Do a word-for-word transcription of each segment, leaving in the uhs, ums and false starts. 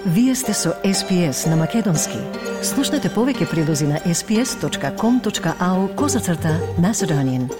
Вие сте со Ес Пи Ес на Македонски. Слушнете повеќе прилози на ес пи ес точка ком точка ау козацрта Macedonian.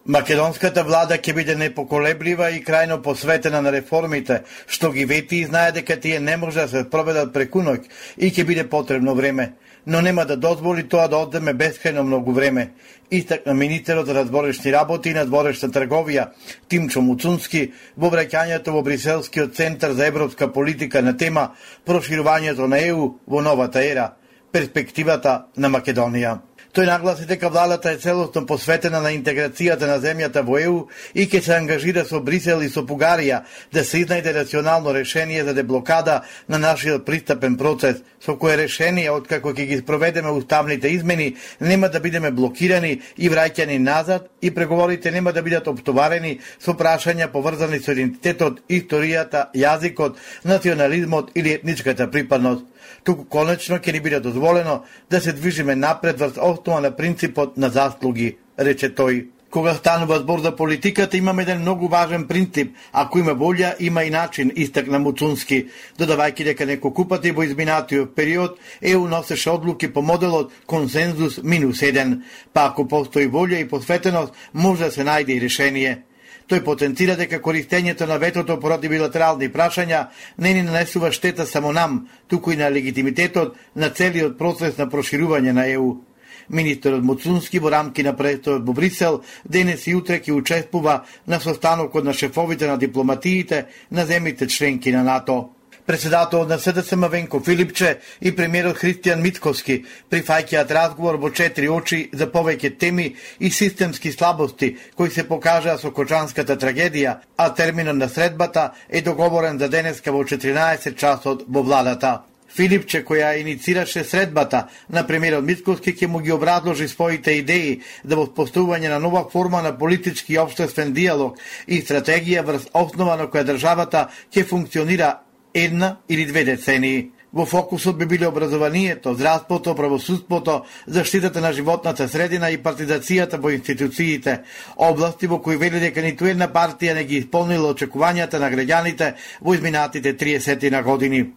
Македонската влада ќе биде непоколеблива и крајно посветена на реформите, што ги вети и знае дека тие не може да се проведат преку ноќ и ќе биде потребно време, но нема да дозволи тоа да одземе бескрајно многу време. Истакна министерот за надворешни работи и надворешна трговија Тимчо Муцунски во враќањето во Бриселскиот центар за европска политика на тема проширувањето на Е У во новата ера, перспективата на Македонија. Тој нагласи дека владата е целосно посветена на интеграцијата на земјата во Е У и ќе се ангажира со Брисел и со Бугарија да се изнајде рационално решение за деблокада на нашиот пристапен процес, со кое решение, откако ќе ги спроведеме уставните измени, нема да бидеме блокирани и враќани назад и преговорите нема да бидат оптоварени со прашања поврзани со идентитетот, историјата, јазикот, национализмот или етничката припадност. Туку конечно ќе ни биде дозволено да се движиме напред врз основа на принципот на заслуги, рече тој. Кога станува збор за политиката, имаме еден многу важен принцип. Ако има волја, има и начин, истакна Муцунски, додавајќи дека неколку пати во изминатиот период Е У носеше одлуки по моделот консензус минус еден, па ако постои волја и посветеност, може да се најде и решение. Тој потенцира дека користењето на ветото поради билатерални прашања не ни нанесува штета само нам, туку и на легитимитетот на целиот процес на проширување на Е У. Министерот Муцунски во рамки на престојот во Брисел денес и утре ќе учествува на состанокот на шефовите на дипломатиите на земјите членки на НАТО. Председателот на Се Де С М Венко Филипче и премиерот Христијан Мицкоски прифаќаат разговор во четири очи за повеќе теми и системски слабости кои се покажаа со Кочанската трагедија, а терминот на средбата е договорен за денеска во четиринаесет часот во владата. Филипче, која иницираше средбата на премиерот Мицкоски, ќе му ги образложи своите идеи за воспоставување на нова форма на политички и општествен диалог и стратегија врз основа на која државата ќе функционира една или две децении. Во фокусот би биле образованието, здравството, правосудството, заштитата на животната средина и партизацијата во институциите, области во кои вели дека ниту една партија не ги исполнила очекувањата на граѓаните во изминатите триесет на години.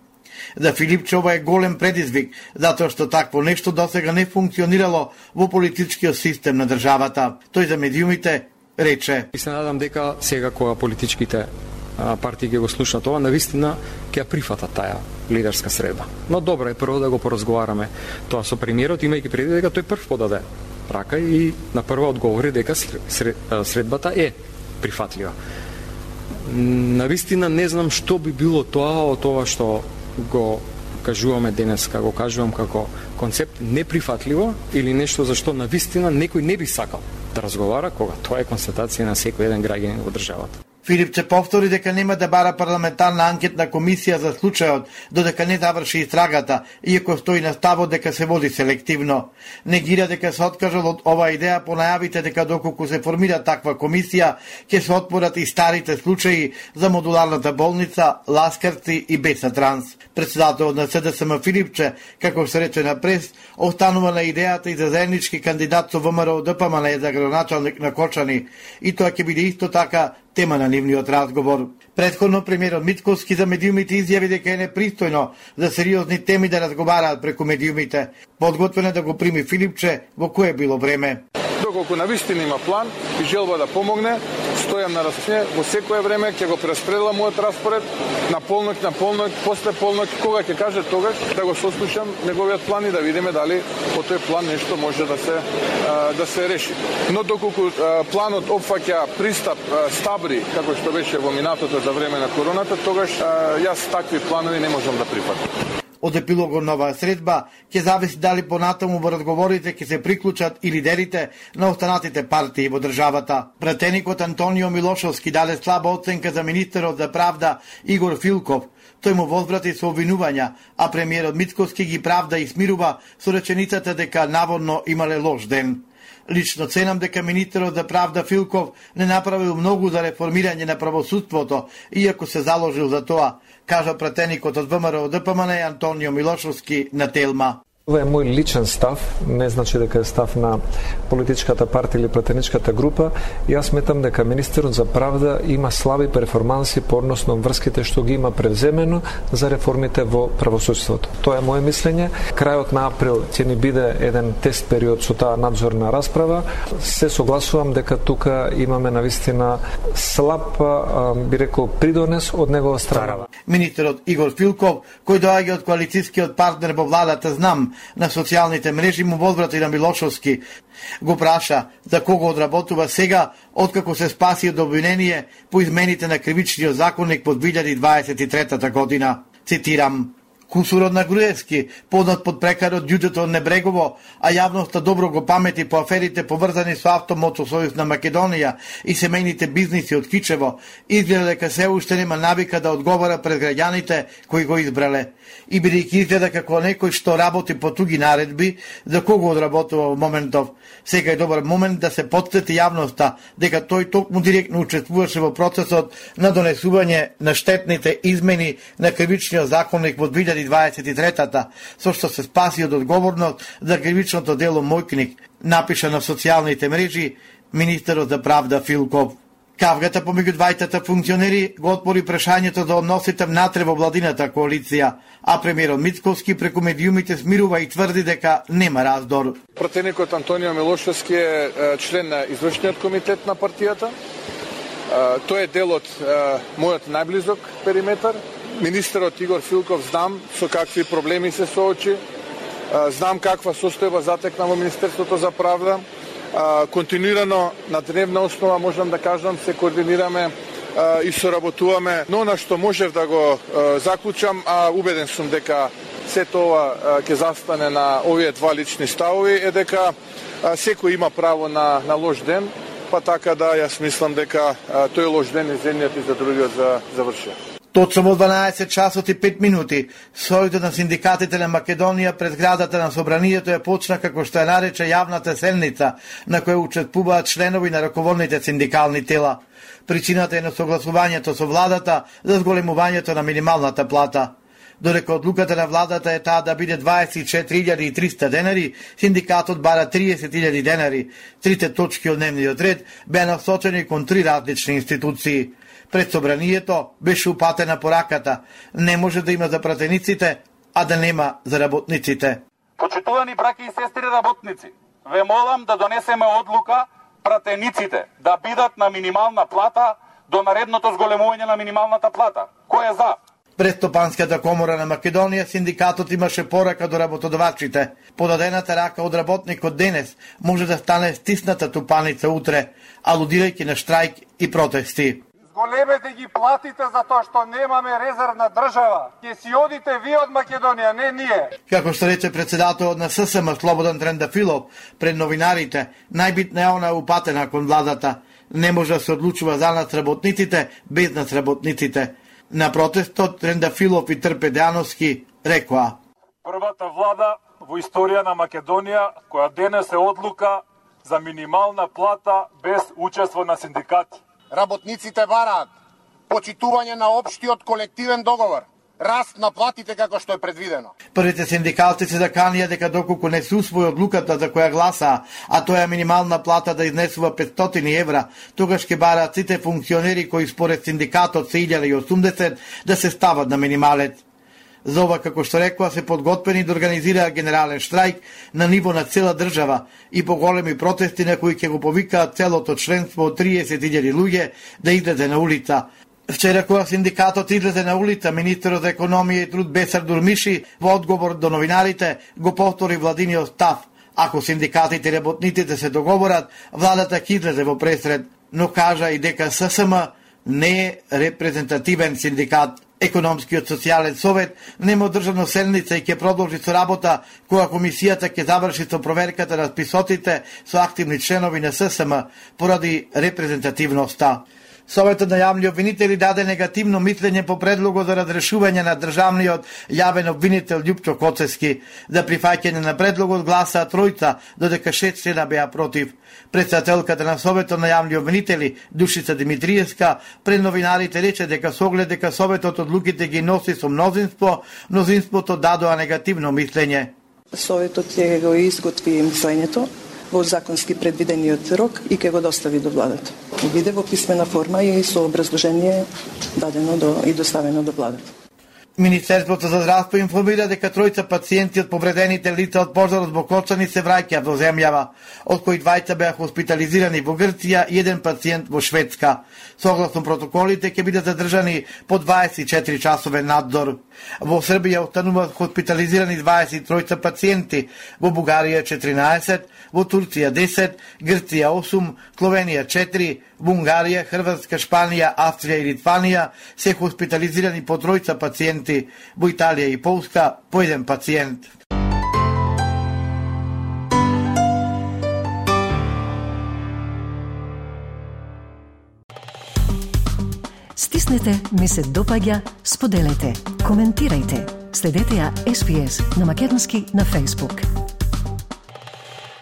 За Филипче ова е голем предизвик, затоа што такво нешто досега не функционирало во политичкиот систем на државата. Тој за медиумите рече: И се надам дека сега кога политичките партии ќе го слушнат ова, навистина ќе ја прифатат таа лидерска средба. Но добро е прво да го поразговараме тоа со премиерот, имајќи преди дека тој прв подаде рака и на прва одговори дека средбата е прифатлива. Навистина не знам што би било тоа од тоа што го кажуваме денеска, го кажувам како концепт неприфатливо или нешто за што навистина некој не би сакал да разговара, кога тоа е констатација на секој еден граѓанин во државата. Филипче повтори дека нема да бара парламентарна анкетна комисија за случајот додека не заврши истрагата, иако стои на ставот дека се води селективно. Негира дека се откажал од оваа идеја по најавите дека доколку се формира таква комисија, ќе се отворат и старите случаи за модуларната болница, ласкарци и Беса Транс. Председателот на Се Де С М Филипче, како се рече на прес, останува на идејата и за заеднички кандидат со Вэ Ем Р О Д П М Н за градоначалник на Кочани, и тоа ќе биде исто така тема на нивниот разговор. Предходно премиерот Мицкоски за медиумите изјави дека е непристојно за сериозни теми да разговараат преку медиумите. Подготвен е да го прими Филипче во кое било време. Доколку навистина има план и желба да помогне, стојам на располагање во секое време, ќе го прераспределам мојот распоред на полноќ, на полноќ, после полноќ, кога ќе каже тогаш да го сослушам неговиот план и да видиме дали по тој план нешто може да се да се реши. Но доколку планот опфаќа пристап стабри, како што беше во минатото за време на короната, тогаш јас такви планови не можам да прифатам. Од епилогот на оваа средба ќе зависи дали понатаму во разговорите ќе се приклучат и лидерите на останатите партии во државата. Пратеникот Антонио Милошовски даде слаба оценка за министерот за правда Игор Филков. Тој му возврати со обвинувања, а премиерот Мицкоски ги правда и смирува со реченицата дека наводно имале лош ден. Лично ценам дека министерот за правда Филков не направил многу за реформирање на правосудството, иако се заложил за тоа, кажа пратеникот од Вэ Ем Р О Д П М Н Антонио Милошовски на Телма. Ова е мој личен став, не значи дека е став на политичката партија или пратеничката група. Јас сметам дека министерот за правда има слаби перформанси по односно врските што ги има превземено за реформите во правосудството. Тоа е моје мислење. Крајот на април ќе ни биде еден тест период со таа надзорна расправа. Се согласувам дека тука имаме навистина слаб, би рекол, придонес од негова страна. Министерот Игор Филков, кој доаѓа од коалицијскиот партнер во владата Знам, на социјалните мрежи му возврати на Милошовски. Го праша за кого одработува сега, откако се спаси од обвинение по измените на кривичниот законник во две илјади дваесет и трета година. Цитирам: Кусурот на Груевски, познат под прекарот ѓуѓето од Небрегово, а јавноста добро го памети по аферите поврзани со Автомотосојуз на Македонија и семејните бизниси од Кичево, изгледа дека се уште нема навика да одговара пред граѓаните кои го избрале. И бидејќи изгледа како некој што работи по туги наредби, за кого одработува во моментов, сега е добар момент да се потсети јавноста дека тој токму директно учествуваше во процесот на донесување на штетните измени на кривичниот законник во две илјади дваесет и трета, со што се спаси од одговорност за кривичното дело Мојкник, напиша на социјалните мрежи министерот за правда Филков. Кавгата помеѓу двајтата функционери го отпори прашањето за односите внатре во владината коалиција, а премиерот Мицковски преку медиумите смирува и тврди дека нема раздор. Пратеникот Антонио Милошевски е член на извршниот комитет на партијата. Тој е дел од мојот најблизок периметар. Министерот Игор Филков знам со какви проблеми се соочи, знам каква состојба затекна во Министерството за правда. Континуирано на дневна основа можам да кажам се координираме и соработуваме, но на што можев да го заклучам, а убеден сум дека се тоа ќе застане на овие два лични ставови, е дека секој има право на, на лош ден, па така да јас мислам дека тој лош ден е за едниот и за другиот за завршил. Точно во дванаесет часот и пет минути, сојдот на синдикатите на Македонија пред зградата на Собранието е почна како што е нарече јавната седница, на која учествуваат членови на раководните синдикални тела. Причината е на согласувањето со владата за зголемувањето на минималната плата. Додека одлуката на владата е таа да биде дваесет и четири илјади и триста денари, синдикатот бара триесет илјади денари. Трите точки од дневниот ред беа насочени кон три различни институции. Пред Собранието беше упатена пораката: не може да има за пратениците, а да нема за работниците. Почитувани браќа и сестри работници, ве молам да донесеме одлука пратениците да бидат на минимална плата до наредното зголемување на минималната плата. Кој е за? Пред Стопанската комора на Македонија синдикатот имаше порака до работодавачите: подадената рака од работникот денес може да стане стисната тупаница утре, алудирајќи на штрајк и протести. Зголемете ги платите за тоа што немаме резервна држава. Ќе си одите вие од Македонија, не ние. Како што рече председателот на ССМ Слободан Трендафилов пред новинарите, најбитна е она упатена кон владата. Не може да се одлучува за нас работниците без нас работниците. На протестот Трендафилов и Трпедановски рекоа: првата влада во историја на Македонија која денес е одлука за минимална плата без учество на синдикати. Работниците бараат почитување на општиот колективен договор, раст на платите како што е предвидено. Првите синдикалци се заканија дека доколку не се усвои одлуката за која гласаа, а тоа е минимална плата да изнесува петстотини евра, тогаш ќе бараат сите функционери кои според синдикатот се илјада и осумдесет да се стават на минималец. За ова, како што рекоа, се подготвени да организираат генерален штрајк на ниво на цела држава и поголеми протести на кои ќе го повикаат целото членство од триесет илјади луѓе да излезе на улица. Вчера кога синдикатот излезе на улица, министерот за економија и труд Бесар Дурмиши во одговор до новинарите го повтори владиниот став: ако синдикатите и работниците се договорат, владата ќе излезе во пресред, но кажа и дека ССМ не е репрезентативен синдикат. Економскиот социјален совет нема одржано седница и ќе продолжи со работа кога комисијата ќе заврши со проверката на списоците со активни членови на ССМ поради репрезентативноста. Советот на јавни обвинители даде негативно мислење по предлогот за разрешување на државниот јавен обвинител Љупчо Коцевски. За прифаќање на предлогот гласаа тројца, додека шест члена беа против. Председателката на Советот на јавни обвинители Душица Димитриевска пред новинарите рече дека со оглед дека Советот одлуките ги носи со мнозинство, мнозинството дадоа негативно мислење. Советот ќе го изготви мислењето во законски предвидениот рок и ќе го достави до владата. Биде во писмена форма и со образложение дадено до и доставено до владата. Министерството за здравство информира дека тројца пациенти од повредените лица од пожарот во Кочани се враќаат во земјава, од кои двајца беа хоспитализирани во Грција и еден пациент во Шведска. Согласно протоколите ќе бидат задржани по дваесет и четири часовен надзор. Во Србија остануваат хоспитализирани дваесет и тројца пациенти, во Бугарија четиринаесет, во Турција десет, Грција осум, Словенија четири, во Унгарија, Хрватска, Шпанија, Австрија и Литванија се хоспитализирани по тројца пациенти, во Италија и Полска по еден пациент. Стиснете, ми се допаѓа, споделете, коментирајте. Следете ја Ес Би Ес на македонски на Facebook.